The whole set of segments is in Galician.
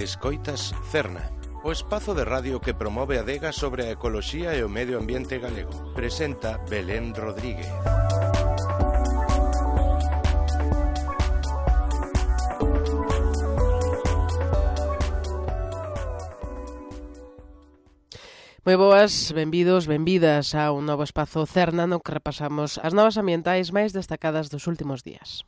Escoitas Cerna, o espazo de radio que promove a adega sobre a ecoloxía e o medio ambiente galego. Presenta Belén Rodríguez. Moi boas, benvidos, benvidas a un novo espazo Cerna no que repasamos as novas ambientais máis destacadas dos últimos días.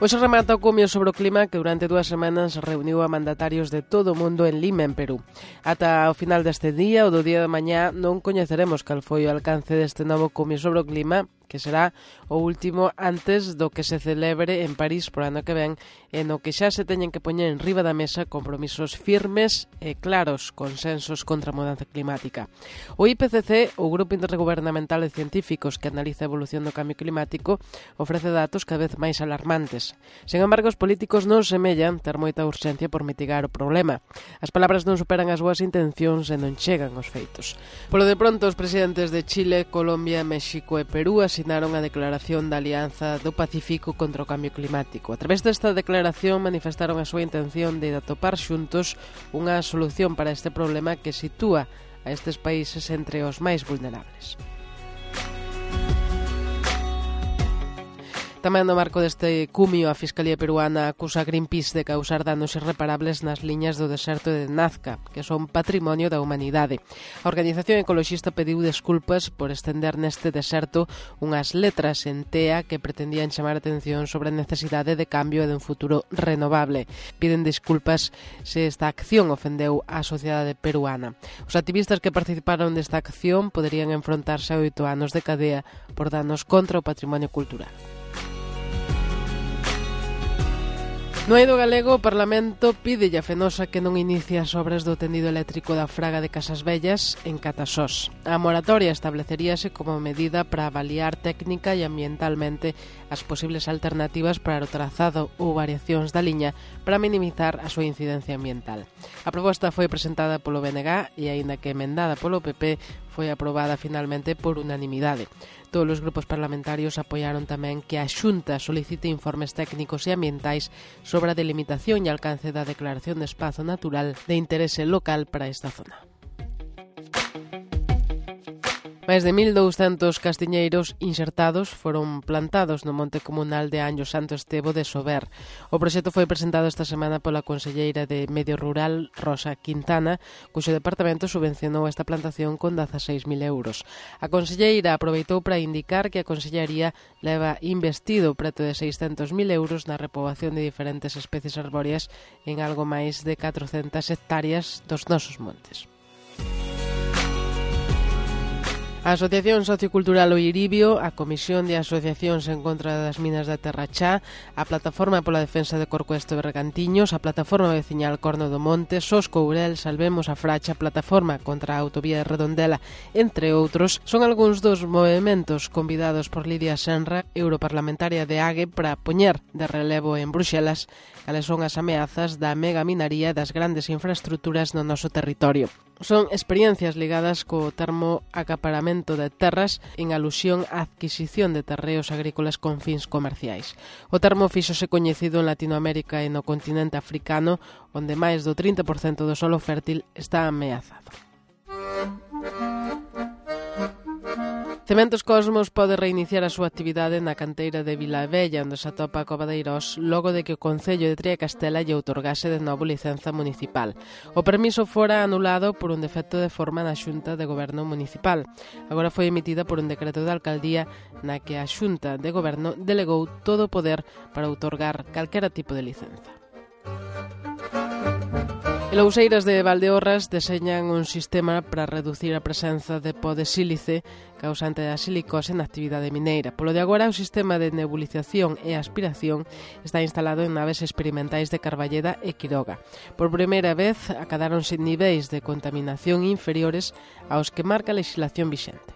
Hoxe remata o cumio sobre o clima que durante 2 semanas reuniu a mandatarios de todo o mundo en Lima, en Perú. Ata o final deste día, ou do día de mañá, non coñeceremos cal foi o alcance deste novo cumio sobre o clima, que será o último antes do que se celebre en París por ano que ven, e no que xa se teñen que poñer en riba da mesa compromisos firmes e claros, consensos contra a mudanza climática. O IPCC, o Grupo Intergubernamental de Científicos que analiza a evolución do cambio climático, ofrece datos cada vez máis alarmantes. Sen embargo, os políticos non semellan ter moita urxencia por mitigar o problema. As palabras non superan as boas intencións e non chegan aos feitos. Polo de pronto, os presidentes de Chile, Colombia, México e Perú asinaron a Declaración da Alianza do Pacífico contra o Cambio Climático. A través desta declaración manifestaron a súa intención de atopar xuntos unha solución para este problema que sitúa a estes países entre os máis vulnerables. Tamén no marco deste cumio, a Fiscalía Peruana acusa a Greenpeace de causar danos irreparables nas liñas do deserto de Nazca, que son patrimonio da humanidade. A organización ecoloxista pediu desculpas por estender neste deserto unhas letras en tea que pretendían chamar a atención sobre a necesidade de cambio e de un futuro renovable. Piden desculpas se esta acción ofendeu á sociedade peruana. Os activistas que participaron desta acción poderían enfrontarse a 8 anos de cadea por danos contra o patrimonio cultural. No eido galego, o Parlamento pídelle a Fenosa que non inicie as obras do tendido eléctrico da Fraga de Casas Vellas en Catasós. A moratoria estableceríase como medida para avaliar técnica e ambientalmente as posibles alternativas para o trazado ou variacións da liña para minimizar a súa incidencia ambiental. A proposta foi presentada polo BNG e, aínda que emendada polo PP, foi aprobada finalmente por unanimidade. Todos os grupos parlamentarios apoiaron tamén que a Xunta solicite informes técnicos e ambientais sobre a delimitación e alcance da declaración de espazo natural de interese local para esta zona. Máis de 1.200 castiñeiros insertados foron plantados no monte comunal de Anllo Santo Estevo de Sober. O proxecto foi presentado esta semana pola conselleira de Medio Rural, Rosa Quintana, cuxo departamento subvencionou esta plantación con 16.000 euros. A conselleira aproveitou para indicar que a consellería leva investido preto de 600.000 euros na repoboación de diferentes especies arbóreas en algo máis de 400 hectáreas dos nosos montes. A Asociación Sociocultural O Iribio, a Comisión de Asociacións en contra das minas da Terra Chá, a Plataforma pola Defensa de Corcoesto e Bergantiños, a Plataforma Veciñal Corno do Monte, Sos Courel, Salvemos a Fracha, Plataforma contra a Autovía de Redondela, entre outros, son algúns dos movementos convidados por Lidia Senra, europarlamentaria de AGE, para poñer de relevo en Bruxelas cales son as ameazas da megaminaría das grandes infraestructuras no noso territorio. Son experiencias ligadas co termo acaparamento de terras en alusión á adquisición de terreos agrícolas con fins comerciais. O termo fíxose coñecido en Latinoamérica e no continente africano, onde máis do 30% do solo fértil está ameazado. Cementos Cosmos pode reiniciar a súa actividade na canteira de Vilavella, onde se atopa a Cova de Eirós, logo de que o Concello de Triacastela lle outorgase de novo licenza municipal. O permiso fora anulado por un defecto de forma na Xunta de Goberno Municipal. Agora foi emitida por un decreto de alcaldía na que a Xunta de Goberno delegou todo o poder para outorgar calquera tipo de licenza. E Louseiras de Valdeorras deseñan un sistema para reducir a presenza de pó de sílice causante da silicose na actividade mineira. Polo de agora, o sistema de nebulización e aspiración está instalado en naves experimentais de Carballeda e Quiroga. Por primeira vez, acadáronse niveis de contaminación inferiores aos que marca a legislación vixente.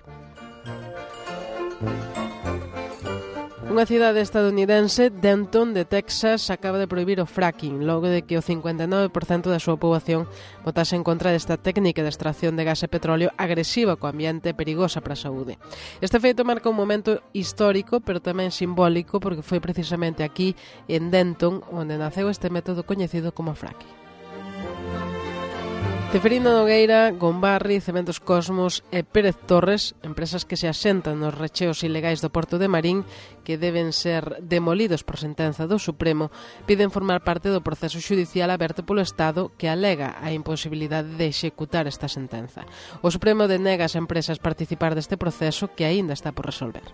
Unha cidade estadounidense, Denton, de Texas, acaba de prohibir o fracking, logo de que o 59% da súa poboación votase en contra desta técnica de extracción de gas e petróleo agresiva co ambiente e perigosa para a saúde. Este feito marca un momento histórico, pero tamén simbólico, porque foi precisamente aquí, en Denton, onde naceu este método coñecido como fracking. Ceferino Nogueira, Gombarri, Cementos Cosmos e Pérez Torres, empresas que se asentan nos recheos ilegais do Porto de Marín, que deben ser demolidos por sentenza do Supremo, piden formar parte do proceso xudicial aberto polo Estado que alega a imposibilidade de executar esta sentenza. O Supremo denega ás empresas participar deste proceso que aínda está por resolver.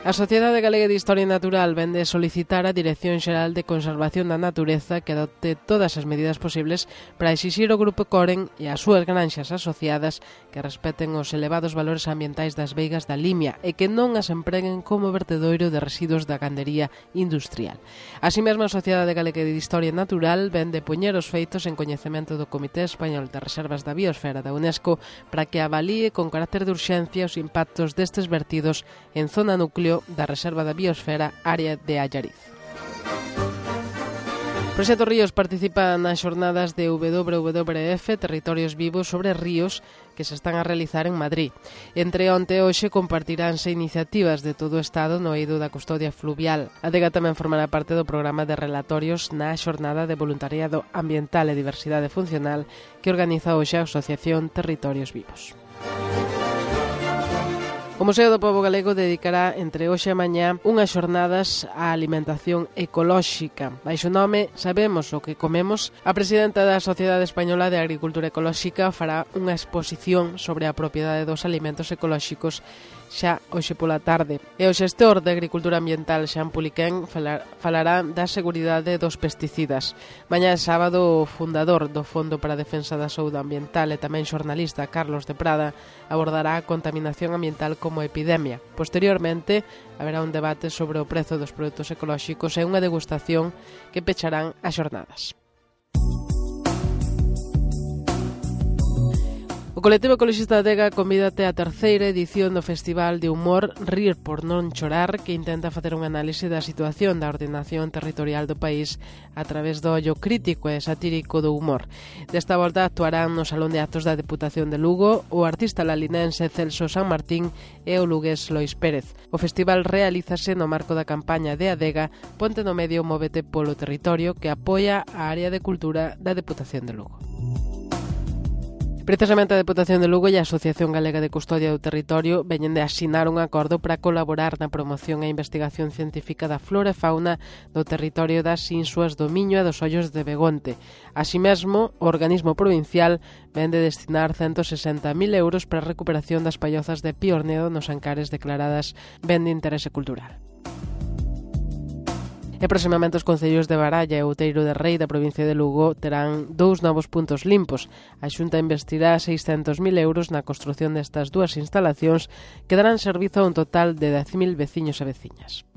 A Sociedade Galega de Historia Natural vende solicitar á Dirección Xeral de Conservación da Natureza que adopte todas as medidas posibles para exixir ao Grupo Coren e as súas granxas asociadas que respeten os elevados valores ambientais das veigas da Limia e que non as empreguen como vertedoiro de residuos da gandería industrial. Así mesmo, a Sociedade Galega de Historia Natural vende poñer os feitos en coñecemento do Comité Español de Reservas da Biosfera da UNESCO para que avalíe con carácter de urxencia os impactos destes vertidos en zona núcleo da Reserva da Biosfera área de Allariz. Proxecto Ríos participa nas xornadas de WWF Territorios Vivos sobre ríos que se están a realizar en Madrid. Entre onte e hoxe compartiránse iniciativas de todo o Estado no eido da custodia fluvial. A Adega tamén formará parte do programa de relatorios na xornada de voluntariado ambiental e diversidade funcional que organiza hoxe a Asociación Territorios Vivos. O Museo do Pobo Galego dedicará entre hoxe e mañá unhas xornadas á alimentación ecolóxica. Baixo o nome Sabemos o que comemos, a presidenta da Sociedade Española de Agricultura Ecolóxica fará unha exposición sobre a propiedade dos alimentos ecolóxicos xa hoxe pola tarde. E o xestor de Agricultura Ambiental, Xan Puliquén, falará da seguridade dos pesticidas. Mañá é sábado, o fundador do Fondo para a Defensa da Saúde Ambiental e tamén xornalista Carlos de Prada abordará a contaminación ambiental como epidemia. Posteriormente, haberá un debate sobre o prezo dos produtos ecolóxicos e unha degustación que pecharán as xornadas. O colectivo ecologista Adega convídate á terceira edición do Festival de Humor Rir por non chorar, que intenta facer un análise da situación da ordenación territorial do país a través do ollo crítico e satírico do humor. Desta volta actuarán no Salón de Actos da Deputación de Lugo o artista lalinense Celso San Martín e o lugués Lois Pérez. O festival realízase no marco da campaña de Adega Ponte no Medio, móvete polo territorio, que apoia a área de cultura da Deputación de Lugo. Precisamente a Deputación de Lugo e a Asociación Galega de Custodia do Territorio veñen de asinar un acordo para colaborar na promoción e investigación científica da flora e fauna do territorio das Insuas do Miño e dos Ollos de Begonte. Así mesmo, o organismo provincial ven de destinar 160.000 euros para a recuperación das pallozas de Piornedo nos Ancares declaradas ben de interese cultural. E próximamente os concellos de Baralla e Outeiro de Rei da provincia de Lugo terán 2 novos puntos limpos. A Xunta investirá 600.000 euros na construción destas dúas instalacións que darán servizo a un total de 10.000 veciños e veciñas.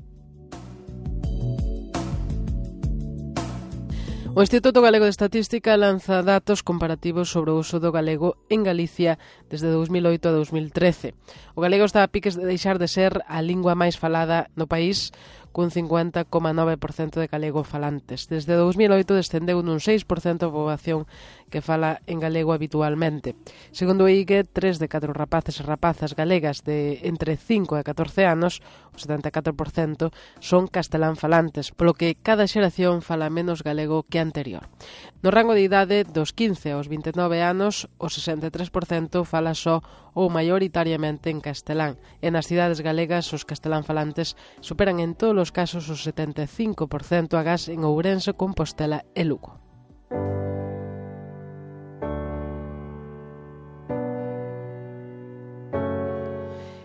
O Instituto Galego de Estatística lanza datos comparativos sobre o uso do galego en Galicia desde 2008 a 2013. O galego está a piques de deixar de ser a lingua máis falada no país, cun 50,9% de galego falantes. Desde 2008 descendeu nun 6% a poboación que fala en galego habitualmente. Segundo o IGE, 3 de 4 rapaces e rapazas galegas de entre 5 e 14 anos, o 74%, son castelán falantes, polo que cada xeración fala menos galego que anterior. No rango de idade dos 15 aos 29 anos, o 63% fala só ou maioritariamente en castelán. E nas cidades galegas, os castelán falantes superan en todos os casos o 75% agás en Ourense, Compostela e Lugo.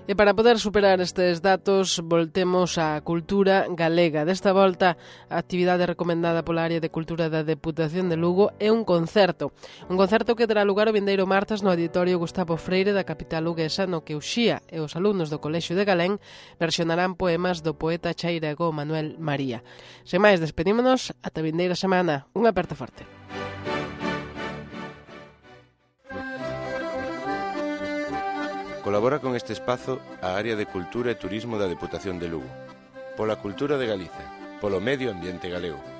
E para poder superar estes datos, voltemos á cultura galega. Desta volta, a actividade recomendada pola área de cultura da Deputación de Lugo é un concerto. Un concerto que terá lugar o vindeiro martes no Auditorio Gustavo Freire da capital luguesa, no que Uxía e os alumnos do Colexio de Galén versionarán poemas do poeta chairego Manuel María. Sen máis, despedímonos ata a vindeira semana. Un aperto forte. Colabora con este espazo a Área de Cultura e Turismo da Deputación de Lugo. Pola cultura de Galicia, polo medio ambiente galego.